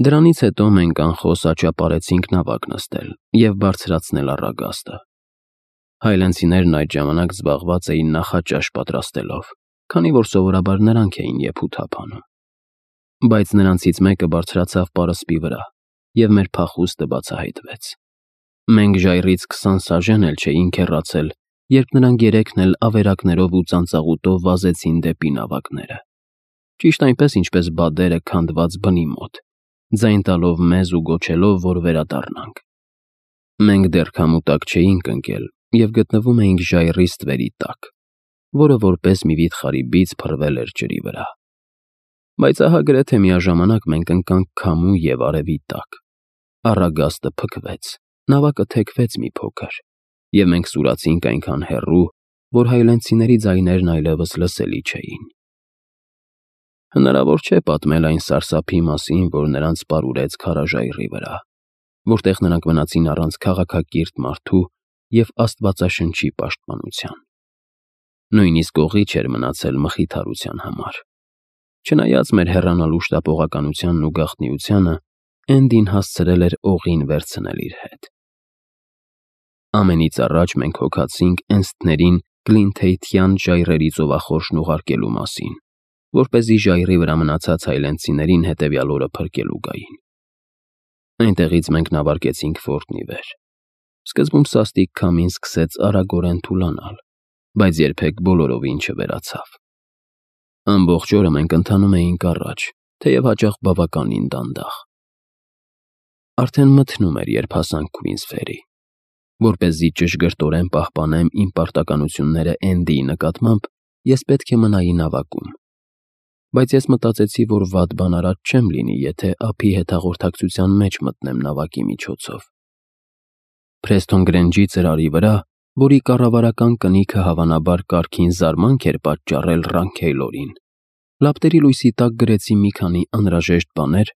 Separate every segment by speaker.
Speaker 1: Դրանից հետո մենք անխոս աճապարեցինք նավակ նստել և բարձրացնել առագաստը։ Հայլենցիներն այդ ժամանակ զբաղված էին նախաճաշ պատրաստելով, քանի որ սովորաբար նրանք էին եփութ հափանում։ Բայց նրանցից մեկը բարձրացավ պարսպի վրա, և մեր փախուստը բացահայտվեց։ Մենք ժայռից 20 սաժեն էլ չէինք հեռացել, երբ նրանք երեքն էլ ավերակներով ու ծանծաղուտով վազեցին դեպի նավակները։ Ճիշտ այնպես, ինչպես բադերը քանդված բնի մոտ, ձայն տալով մեզ ու գոչելով, որ վերադառնանք։ Մենք դեռ քամուտակ չէինք ընկել և գտնվում էինք ժայռի ստվերի տակ, որը որպես մի վիթխարի բիծ փռվել էր ջրի վրա։ Բայց ահա գրեթե միաժամանակ մենք ընկանք քամու և արևի տակ։ Առագաստը փքվեց, նավակը թեքվեց մի փոքր, և մենք սուրացինք այնքան հեռու, որ հայլենցիների ձայներն այլևս լսելի չէին։ Հնարավոր չէ պատմել այն սարսափի մասին, որ նրանց պարուրեց քարաժայռի վրա, որտեղ նրանք մնացին առանց քաղաքակիրթ մարդու և աստվածաշնչի պաշտպանության։ Նույնիսկ օղի չէր մնացել մխիթարության համար։ Չնայած մեր հեռանալու շտապողականությանն ու գաղտնիությանը, Էնդին հասցրել էր օղին վերցնել իր հետ։ Ամենից առաջ մենք հոգացինք էնստներին Գլինթեյթյան ժայռերի ծովախորշն ուղարկելու մասին, որպեսզի ժայռի վրա մնացած հայլենցիներին հետևյալ օրը փրկելու գային։ Այնտեղից մենք նավարկեցինք Ֆորտ Նիվեր։ Սկզբում սաստիկ քամին սկսեց արագորեն թուլանալ, բայց երբեք բոլորովին չվերացավ։ Ամբողջ օրը մենք ընթանում էինք առաջ, թեև հաճախ բավականին դանդաղ։ Արդեն մթնում էր, երբ հասանք Քուինսֆերի։ Որպեսզի ճշգրտորեն պահպանեմ իմ պարտականությունները Էնդիի նկատմամբ, ես պետք է մնայի նավակում։ Բայց ես մտածեցի, որ վատ բան արած չեմ լինի, եթե ափի հետ հաղորդակցության մեջ մտնեմ նավակի միջոցով։ Փրեստոն Գրենջի ծրարի վրա, որի կառավարական կնիքը հավանաբար կարգին զարմանք էր պատճառել Ռանքեյլորին, լապտերի լույսի տակ գրեցի մի քանի անհրաժեշտ բաներ,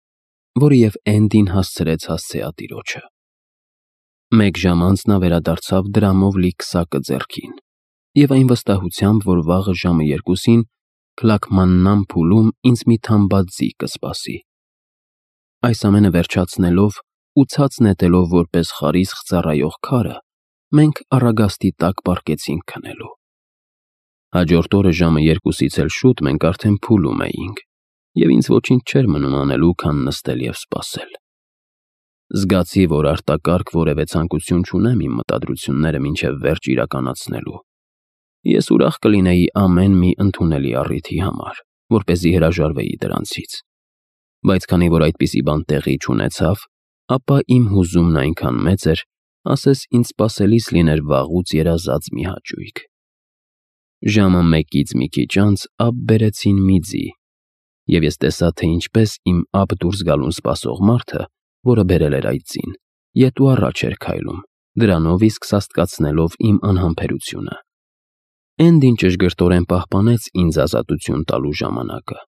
Speaker 1: որը և Էնդին հասցրեց հասցեատիրոջը։ Մեկ ժամ անց նա վերադարձավ դրամով լի քսակը ձեռքին և այն վստահությամբ, որ վաղը ժամը 2-ին Քլաքմաննամ փուլում ինձ մի թամբած ձի կսպասի։ Այս ամենը վերջացնելով ու ցած նետելով որպես խարիսխ ծառայող քարը, մենք առագաստի տակ պառկեցինք քնելու։ Հաջորդ օրը ժամը 2-ից էլ շուտ մենք արդեն փուլում էինք, և ինձ ոչինչ չէր մնում անելու, քան նստել և սպասել։ Զգացի, որ արտակարգ որևէ ցանկություն չունեմ իմ մտադրությունները մինչև վերջ իրականացնելու։ Ես ուրախ կլինեի ամեն մի ընդունելի առիթի համար, որպեսզի հրաժարվեի դրանցից։ Բայց քանի որ այդպիսի բան տեղի չունեցավ, ապա իմ հուզումն այնքան մեծ էր, ասես ինձ սպասելիս լիներ վաղուց երազած մի հաճույք։ Ժամը 1-ից մի քիչ անց ափ բերեցին մի ձի, և ես տեսա, թե ինչպես իմ ափ դուրս գալուն սպասող մարդը, որը բերել էր այդ ձին, ետ ու առաջ էր քայլում, դրանով իսկ սաստկացնելով իմ անհամբերությունը։ Էնդին ճշգրտորեն պահպանեց ինձ ազատություն տալու ժամանակը,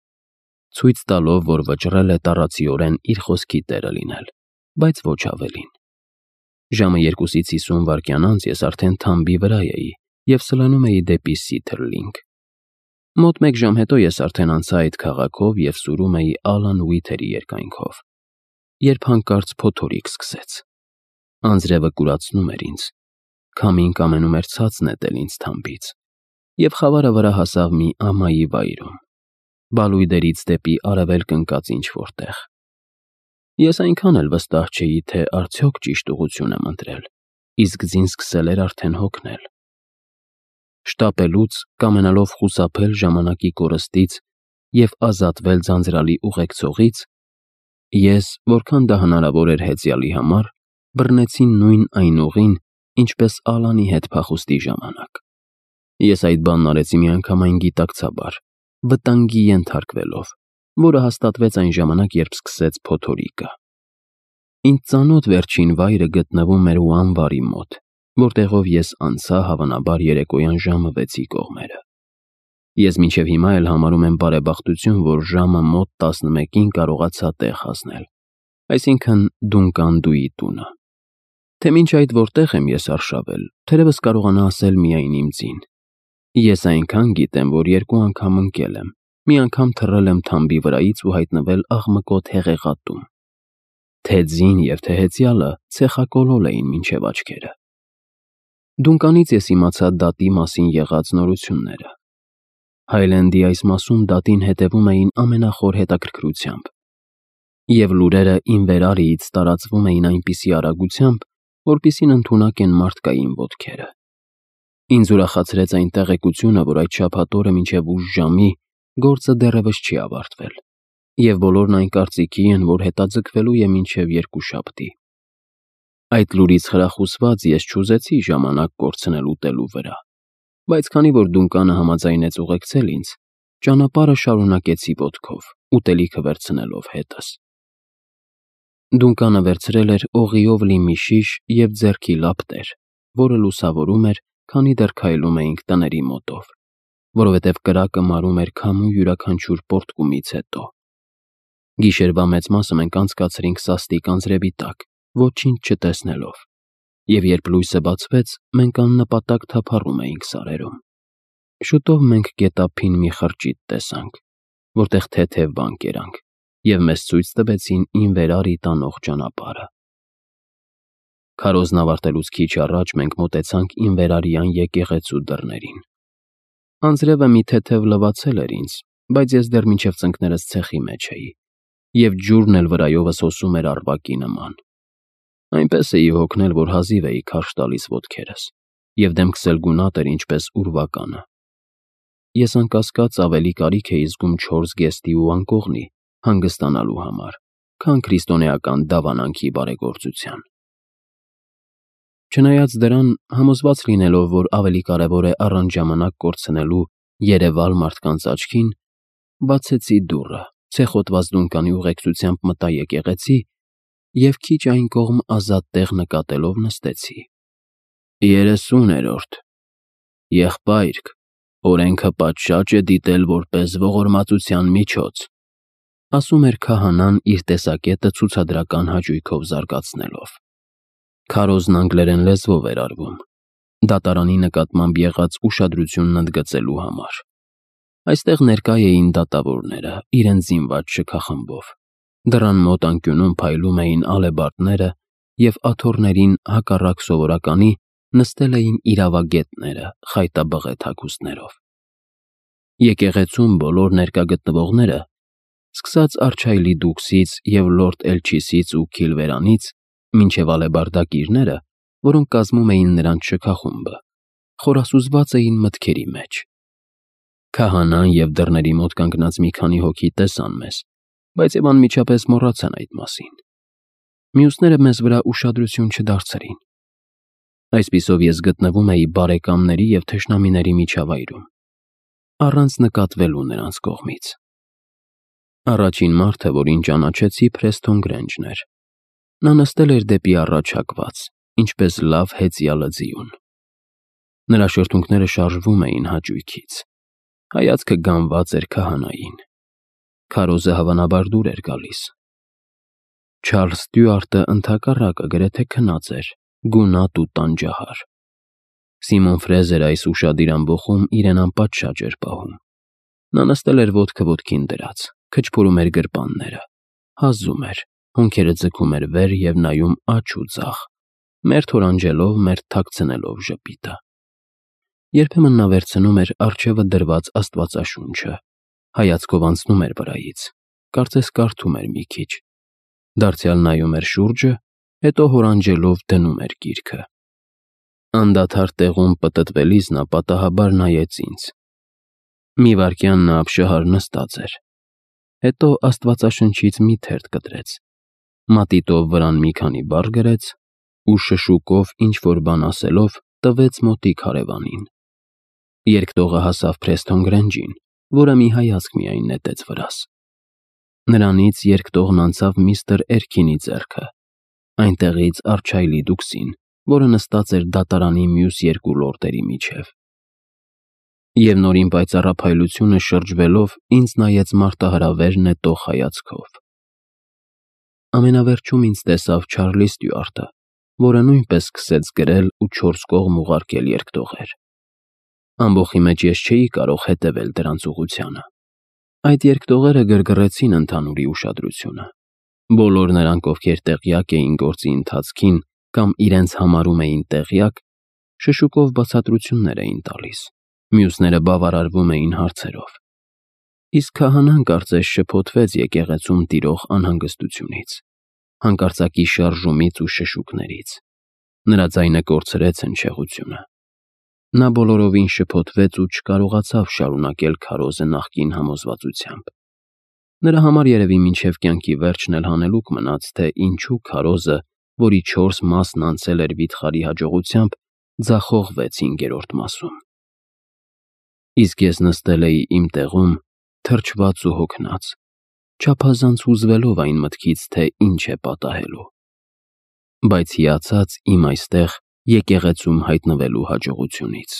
Speaker 1: ցույց տալով, որ վճռել է տառացիորեն իր խոսքի տերը լինել, բայց ոչ ավելին։ Ժամը 2-ից 50 վայրկյան անց ես արդեն թամբի վրա էի և սլանում էի դեպի Սիթրլինգ։ Մոտ մեկ ժամ հետո ես արդեն անցա այդ քաղաքով և սուրում էի Ալան Ուիթերի երկայնքով, երբ հանկարծ փոթորիկ սկսեց։ Անձրևը կուրացնում էր ինձ, քամին կամենում էր ցած նետել ինձ թամբից, և խավարը վրա հասավ մի ամայի վայրում, բալույդերից դեպի արևելք ընկած ինչ-որ տեղ։ Ես այնքան էլ վստահ չէի, թե արդյոք ճիշտ ուղղություն եմ ընտրել, իսկ ձին սկսել էր արդեն հոգնել։ Շտապելուց, կամենալով խուսափել ժամանակի կորստից և ազատվել ձանձրալի ուղեկցողից, ես, որքան դա հնարավոր էր հեծյալի համար, բռնեցի նույն այն ուղին, ինչպես Ալանի հետ փախուստի ժամանակ։ Ես այդ բանն արեցի միանգամայն գիտակցաբար, վտանգի ենթարկվելով, որը հաստատվեց այն ժամանակ, երբ սկսեց փոթորիկը։ Ինձ ծանոթ վերջին վայրը գտնվում էր Ուանվարի մոտ, որտեղով ես անցա հավանաբար երեկոյան ժամը 6-ի կողմերը։ Ես մինչև հիմա էլ համարում եմ բարեբախտություն, որ ժամը մոտ 11-ին կարողացա տեղ հասնել, այսինքն Դունկանդուի տունը։ Թե մինչ այդ որտեղ եմ ես արշավել, թերևս կարողանա ասել միայն իմ ձին։ Ես այնքան գիտեմ, որ 2 անգամ ընկել եմ, մի անգամ թռել եմ թամբի վրայից ու հայտնվել աղմկոտ հեղեղատում, Թե ձին և թե հեծյալը ցեխակոլոլ էին մինչև աչքերը։ Դունկանից ես իմացա դատի մասին եղած նորությունները։ Հայլենդի այս մասում դատին հետևում էին ամենախոր հետաքրքրությամբ, և լուրերը Ինվերարիից տարածվում էին այնպիսի արագությամբ, որպիսին ընդունակ են մարդկային ոտքերը։ Ինձ ուրախացրեց այն տեղեկությունը, որ այդ շաբաթ օրը մինչև ուշ ժամի գործը դեռևս չի ավարտվել, և բոլորն այն կարծիքի են, որ հետաձգվելու է մինչև երկուշաբթի։ Այդ լուրից խրախուսված ես չուզեցի ժամանակ կորցնել ուտելու վրա, բայց քանի որ Դունկանը համաձայնեց ուղեկցել ինձ, ճանապարհը շարունակեցի ոտքով, ուտելիքը վերցնելով հետս։ Դունկանը վերցրել էր օղիով լի մի շիշ և ձեռքի լապտեր, որը լուսավորում էր, քանի դեռ քայլում էինք տների մոտով, որովհետև կրակը մարում էր քամու յուրաքանչյուր պոռթկումից հետո։ Գիշերվա մեծ մասը մենք անցկացրինք սաստիկ անձրևի տակ, ոչինչ չտեսնելով, և երբ լույսը բացվեց, մենք աննպատակ թափառում էինք սարերում։ Շուտով մենք գետափին մի խրճիթ տեսանք, որտեղ թեթև բան կերանք, և մեզ ցույց տվեցին Ինվերարի տանող ճանապարհը։ Քարոզն ավարտելուց քիչ առաջ մենք մոտեցանք Ինվերարյան եկեղեցու դռներին։ Անձրևը մի թեթև լվացել էր ինձ, բայց ես դեռ մինչև ծնկներս ցեխի մեջ էի, և ջուրն էլ վրայովս հոսում էր առվակի նման։ Այնպես էի հոգնել, որ հազիվ էի քարշ տալիս ոտքերս, և դեմքս էլ գունատ էր ինչպես ուրվականը։ Ես անկասկած ավելի կարիք էի զգում 4 գեստի ու անկողնի հանգստանալու համար, քան քրիստոնեական դավանանքի բարեգործության։ Չնայած դրան, համոզված լինելով, որ ավելի կարևոր է առանց ժամանակ կորցնելու երևալ մարդկանց աչքին, բացեցի դուռը, ցեխոտված Դունկանի ուղեկցությամբ մտա եկեղեցի և քիչ այն կողմ ազատ տեղ նկատելով նստեցի։ 30-րդ Եղբայրք, օրենքը պատշաճ է դիտել որպես ողորմածության միջոց, ասում էր քահանան իր տեսակետը ցուցադրական հաճույքով զարգացնելով։ Քարոզն անգլերեն լեզվով էր արվում, դատարանի նկատմամբ եղած ուշադրությունն ընդգծելու համար։ Այստեղ ներկա էին դատավորները, իրենց զինված շքախմբով։ Դռան մոտ անկյունում փայլում էին ալեբարդները, և աթոռներին, հակառակ սովորականի, նստել էին իրավագետները խայտաբղետ հագուստներով։ Եկեղեցում բոլոր ներկա գտնվողները, սկսած Արչայլի դուքսից և լորդ Էլչիսից ու Քիլվերանից, մինչև ալեբարդակիրները, որոնք կազմում էին նրանց շքախումբը, խորասուզված էին մտքերի մեջ։ Քահանան և դռների մոտ կանգնած մի քանի հոգի տեսան մեզ, բայց և անմիջապես մոռացան այդ մասին։ Մյուսները մեզ վրա ուշադրություն չդարձրին։ Այսպիսով ես գտնվում էի բարեկամների և թշնամիների միջավայրում, առանց նկատվելու նրանց կողմից։ Առաջին մարդը, որին ճանաչեցի, Փրեսթոն Գրենջն էր։ Նա նստել էր դեպի առաջ հակված, ինչպես լավ հեծյալը ձիուն։ Նրա շրթունքները շարժվում էին հաճույքից։ Հայացքը գանված էր քահանային։ Քարոզը հավանաբար դուր էր գալիս։ Չարլզ Ստյուարտը ընդհակառակը գրեթե քնած էր, գունատ ու տանջահար։ Սիմոն Ֆրեզերը այս ուշադիր ամբոխում իրեն անպատշաճ էր պահում։ Նա նստել էր ոտքը ոտքին դրած, քչփորում էր գրպանները, հազում էր, հոնքերը ձգում էր վեր և նայում աջ ու ձախ, մերթ օրանջելով, մերթ թաքցնելով ժպիտը։ Երբեմն նա վերցնում էր առջևը դրված Աստվածաշունչը, հայացքով անցնում էր վրայից, կարծես կարդում էր մի քիչ, դարձյալ նայում էր շուրջը, հետո հորանջելով դնում էր գիրքը։ Անդադար տեղում պտտվելիս նա պատահաբար նայեց ինձ։ Մի վայրկյան նա ապշահար նստած էր, հետո Աստվածաշնչից մի թերթ կտրեց, մատիտով վրան մի քանի բառ գրեց ու շշուկով ինչ-որ բան ասելով տվեց մոտիկ հարևանին։ Երկտողը հասավ Փրեսթոն Գրենջին, որը մի հայացք միայն նետեց վրաս։ Նրանից երկտողն անցավ միստր Էրքինի ձեռքը, այնտեղից Արչայլի դուքսին, որը նստած էր դատարանի մյուս երկու լորդերի միջև։ Եվ նորին պայծառափայլությունը շրջվելով ինձ նայեց մարտահրավեր նետող հայացքով։ Ամենավերջում ինձ տեսավ Չարլի Ստյուարտը, որը նույնպես սկսեց գրել ու 4 կողմ ուղարկել երկտողեր։ Ամբոխի մեջ ես չէի կարող հետևել դրանց ուղղությանը։ Այդ երկտողերը գրգռեցին ընդհանուրի ուշադրությունը։ Բոլոր նրանք, ովքեր տեղյակ էին գործի ընթացքին կամ իրենց համարում էին տեղյակ, շշուկով բացատրություններ էին տալիս, մյուսները բավարարվում էին հարցերով։ Իսկ քահանան կարծես շփոթվեց եկեղեցում տիրող անհանգստությունից, հանկարծակի շարժումից ու շշուկներից։ Նրա ձայնը կորցրեց հնչեղությունը։ Նա բոլորովին շփոթվեց ու չկարողացավ շարունակել քարոզը նախկին համոզվածությամբ։ Նրա համար երևի մինչև կյանքի վերջն էլ հանելուկ մնաց, թե ինչու քարոզը, որի 4 մասն անցել էր վիթխարի հաջողությամբ, ձախողվեց 5-րդ մասում։ Իսկ ես նստել էի իմ տեղում, թրջված ու հոգնած, չափազանց հուզվելով այն մտքից, թե ինչ է պատահելու, բայց հիացած իմ այստեղ եկեղեցում հայտնվելու հաջողությունից։